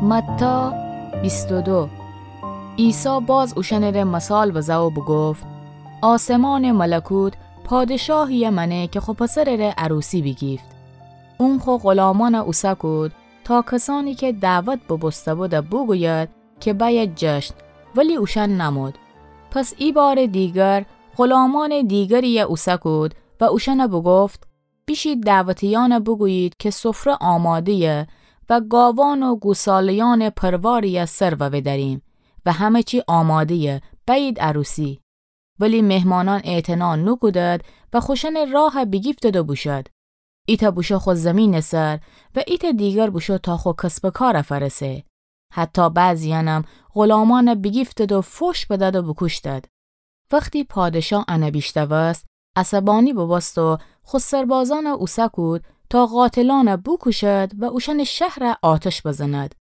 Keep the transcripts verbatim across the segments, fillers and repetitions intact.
متی بیست و دو. عیسی باز اوشأنٚره مثال بزه و بوگفت: آسمانٚ ملکوت پادشاهیی مأنه کی خو پسرٚره عروسی بیگیفت. اون خو غلامأن اوسه کود تا کسأنی کی دعوت بوبوسته‌بود بوگوید کی بأید جشن، ولی اوشأن نمود. پس ایبارٚ دیگر غلامأنٚ دیگریی اوسه کود و اوشأن بوگفت: بیشید دعوتیأن بوگویید کی سفره آماده‌یه و گاوأن و گوساله‌یأنٚ پرواریی سر وودأریم و همه چی آماده‌یه، بأیید عروسی. ولی مهمانأن اعتنا نوکودد و خوشأنٚ راه بیگیفتد و بوشد. ایتأ بوشو خو زیمینٚ سر و ایتأ دیگر بوشو تا خو کسب و کار فأرسه. حتی بعضیأنم غلامأن بیگیفتد و فوش بدد و بوکوشتد. وختی پادشاه ان بیشنوست، عصبانی بوبوست و خو سربازأن اوسه کود تا قاتلأن بوکوشد و اوشأنٚ شهر آتش بزند.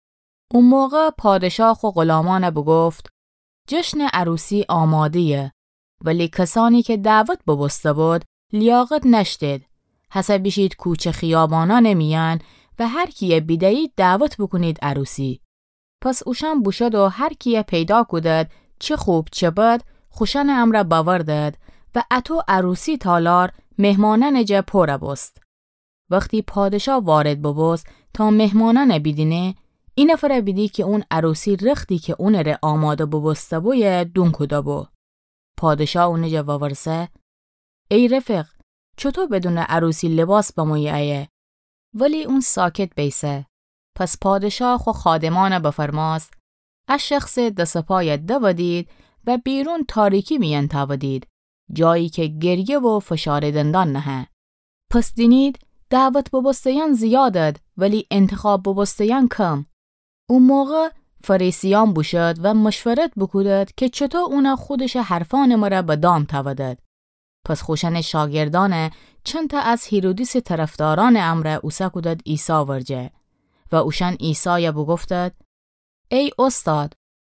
او موقع پادشاه خو غلامأن بوگفت: جشنٚ عروسی آماده‌یه، ولی کسأنی کی دعوت بوبوسته‌بود لیاقت نأشتید. هسه بیشید کوچه خیابانأنٚ میأن و هر کیی بیده‌یید دعوت بوکونید عروسی. پس اوشأن بوشد و هر کیی پیدا کودد، چه خوب چه بد، خوشأنٚ امرأ بأوردد و اطو عروسی تالار مهمانأنٚ جا پور بوست. وختی پادشاه وارد بوبوست تا مهمانأن بیدینه، ای نفر بیدی کی اون عروسی رختی کی اونٚره آماده بوبوسته‌بویه دون کوده‌بو. پادشاه اونٚ جا وورسه: ای رفیق، چوطو بدونٚ عروسی لباس بمویی ایه؟ ولی اون ساکت بیسه. پس پادشاه خو خادمأن بفرمأست: ا شخصٚ دس و پای دودید و بیرون تاریکی میأن تأودید، جایی کی گریه و فشارٚ دندان نهه. پس دینید دعوت بوبوسته‌یأن زیادد، ولی انتخاب بوبوسته‌یأن کم. او موقع فریسیأن بوشد و مشورت بوکودد کی چوطو اون خودشٚ حرفأنٚ مره به دام تأودد. پس خوشأنٚ شاگردأن چندتأ از هیرودیسٚ طرفدارأنٚ امرأ اوسه کودد عیسی ورجه و اوشأن عیسای بوگفتد: ای اوستاد،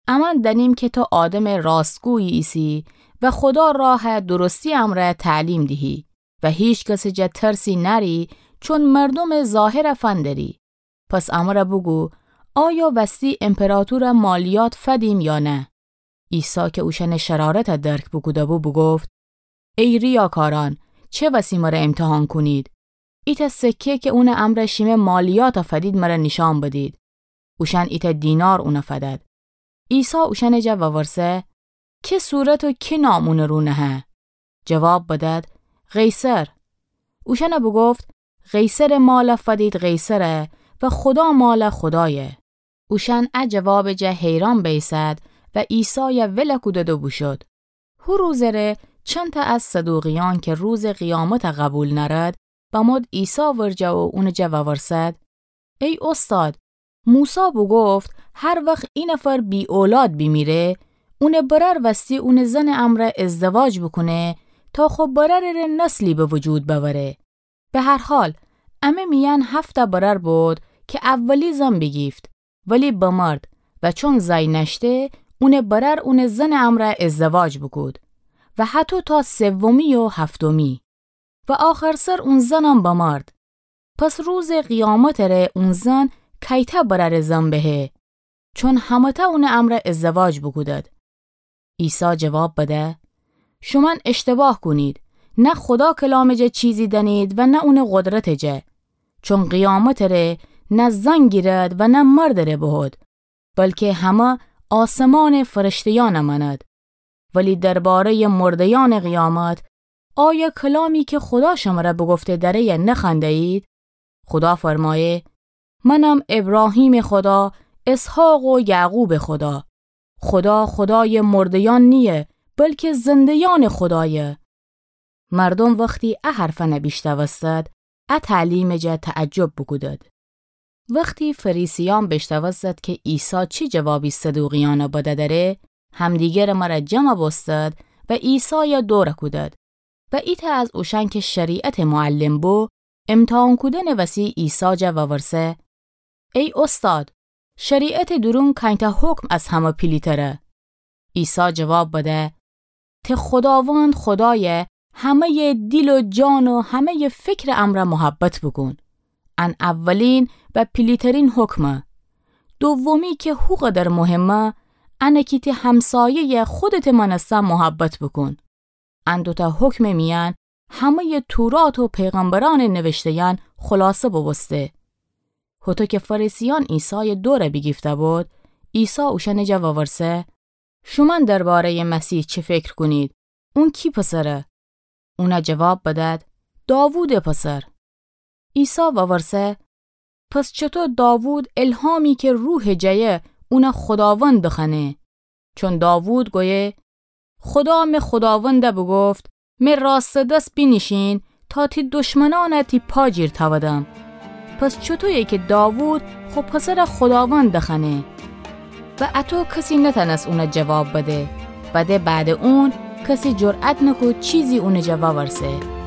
امأن دأنیم کی تو آدمٚ راستگویی ایسی و خودا راه درستی امرأ تعلیم دیهی و هیکسٚ جا ترسی نأری، چون مردومٚ ظاهر فندری. پس امره بوگو، آیا وستی امپراطور مالیات فدیم یا نه؟ عیسی کی اوشأنٚ شرارت درک بوکوده‌بو، بوگفت: ای ریاکارأن، چه وسی مره امتحان کونید؟ ایتأ سکه کی اونٚ امرأ شیمه مالیات فدید مره نیشأن بدید. اوشأن ایتأ دینار اون فدد. عیسی اوشأنٚ جا وورسه: کی صورت و کی نام اونٚ رو نهه؟ جواب بدد: قیصر. اوشأن بوگفت: قیصرٚ مال فدید قیصر و خودا مال خودای. اوشأن ا جوابٚ جا حیران بیسد و عیسای ول کودد و بوشد. هو روزٚ ره چندتأ از صدوقیأن کی روزٚ قیامت قبول نأرد، بمود عیسی ورجه و اونٚ جا وورسد: ای اوستاد، موسی بوگفت هر وخت ای نفر بی اولاد بیمیره، اونٚ برأر وستی اونٚ زنٚ امرأ ازدواج بوکونه تا خو برأرٚ ره نسلی به وجود بأوره. به هر حال، امه میأن هفتأ برأر بود کی اولی زن بیگیفت، ولی بمرد و چون زأی نأشته، اونٚ برأر اونٚ زنٚ امرأ ازدواج بوکود و هطو تا سومی و هفتمی. و آخرسر اون زنم بمرد. پس روزٚ قیامتٚ ره اون زن کیتأ برأرٚ زن بهه، چون همه‌تأ اونٚ امرأ ازدواج بوکودد. عیسی جواب بده: شومأن اشتباه کونید، نه خودا کلامٚ جا چیزی دأنید و نه اونٚ قدرتٚ جا. چون قیامتٚ ره نه زن گیرد و نه مردٚ ره بهود، بلکی همه آسمانٚ فرشته‌یأن مأند. ولی درباره‌یٚ مرده‌یأنٚ قیامت، آیا کلامی کی خودا شمره بوگفته دأره نخوأنده‌یید؟ خودا فرمایه: منم ابراهیمٚ خودا، اسحاق و یعقوبٚ خودا. خودا خودایٚ مرده‌یأن نییه، بلکی زنده‌یأنٚ خودایه. مردوم وختی ا حرفأن بیشنوستد، ا تعلیمٚ جا تعجب بوکودد. وختی فریسیأن بیشنوستد کی عیسی چی جوابی صدوقیأن بده دره، همدیگرٚ مره جمع بوستد و عیسای دور کودد. و ایتأ از اوشأن کی شریعتٚ معلم بو، امتحان کودنٚ وسی عیسی جا وورسه: ای اوستاد، شریعتٚ دورون کأنتأ حکم از همه پیلیتره؟ عیسی جواب بده: ته خوداوند خودایٚ همه‌یٚ دیل و جان و همه‌یٚ فکرٚ امرأ محبت بوکون. ان اولین و پیلیترین حکمه. دومی کی هوقدر مهمه، انه کی تی همسایه‌یٚ خودتٚ مأنسته محبت بوکون. ان دوتأ حکمٚ میأن همه‌یٚ تورات و پیغمبرأنٚ نوشته‌یأن خلاصه بوبوسته. هوطو کی فریسیأن عیسایٚ دوره بیگیفته‌بود، عیسی اوشأنٚ جا وورسه: شومأن درباره‌یٚ مسیح چی فکر کونید؟ اون کی پسره؟ اون جواب بدأد: داوودٚ پسر. عیسی وورسه: پس چوطو داوود الهامی کی روحٚ جأیه اون خوداوند بخوأنه؟ چون داوود گویه: خودا می خوداوند بوگفت: می راستٚ دس بینیشین تا تی دشمنأن تی پا جیر تأودم. پس چوطویه کی داوود خو پسر خوداوند بخوأنه؟ و اطو کسی نتأنست اون جواب بده و ده بعدٚ اون کسی جرأت نکود چیزی اونٚ جا وورسه.